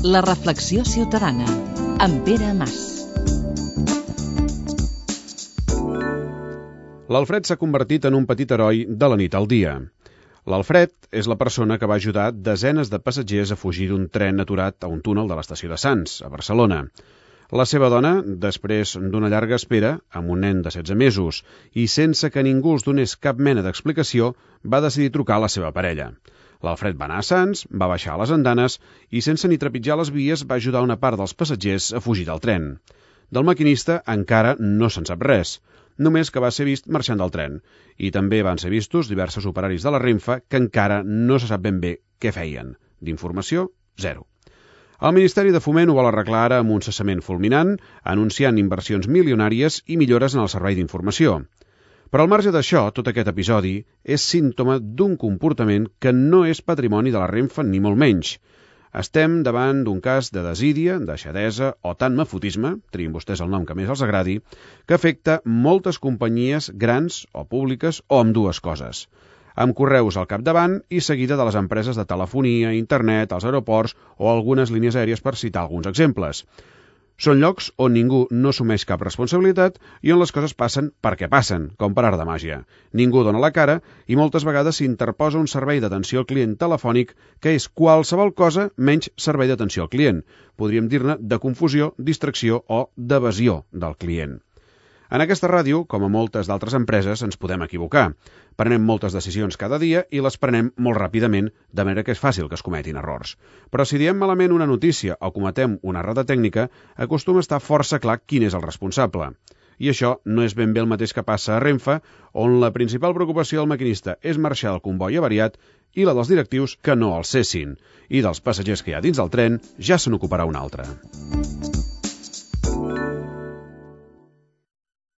La reflexió ciutadana, amb Pere Mas. L'Alfred s'ha convertit en un petit heroi de la nit al dia. L'Alfred és la persona que va ajudar desenes de passatgers a fugir d'un tren aturat a un túnel de l'estació de Sants, a Barcelona. La seva dona, després d'una llarga espera, amb un nen de 16 mesos, i sense que ningú els donés cap mena d'explicació, va decidir trucar a la seva parella. L'Alfred va anar a Sants, va baixar a les andanes i, sense ni trepitjar les vies, va ajudar una part dels passatgers a fugir del tren. Del maquinista encara no se'n sap res, només que va ser vist marxant del tren. I també van ser vistos diversos operaris de la Renfe que encara no se sap ben bé què feien. D'informació, zero. El Ministeri de Foment ho vol arreglar ara amb un cessament fulminant, anunciant inversions milionàries i millores en el servei d'informació. Però al marge d'això, tot aquest episodi és símptoma d'un comportament que no és patrimoni de la Renfe ni molt menys. Estem davant d'un cas de desídia, deixadesa o tant mafotisme, triïn vostès el nom que més els agradi, que afecta moltes companyies grans o públiques o ambdues coses, amb Correus al capdavant i seguida de les empreses de telefonia, internet, els aeroports o algunes línies aèries, per citar alguns exemples. Són llocs on ningú no assumeix cap responsabilitat i on les coses passen perquè passen, com per art de màgia. Ningú dona la cara i moltes vegades s'interposa un servei d'atenció al client telefònic que és qualsevol cosa menys servei d'atenció al client. Podríem dir-ne de confusió, distracció o d'evasió del client. En aquesta ràdio, com a moltes d'altres empreses, ens podem equivocar. Prenem moltes decisions cada dia i les prenem molt ràpidament, de manera que és fàcil que es cometin errors. Però si diem malament una notícia o cometem una errada tècnica, acostuma a estar força clar quin és el responsable. I això no és ben bé el mateix que passa a Renfe, on la principal preocupació del maquinista és marxar del comboi avariat i la dels directius que no el cessin. I dels passatgers que hi ha dins del tren ja se n'ocuparà un altre.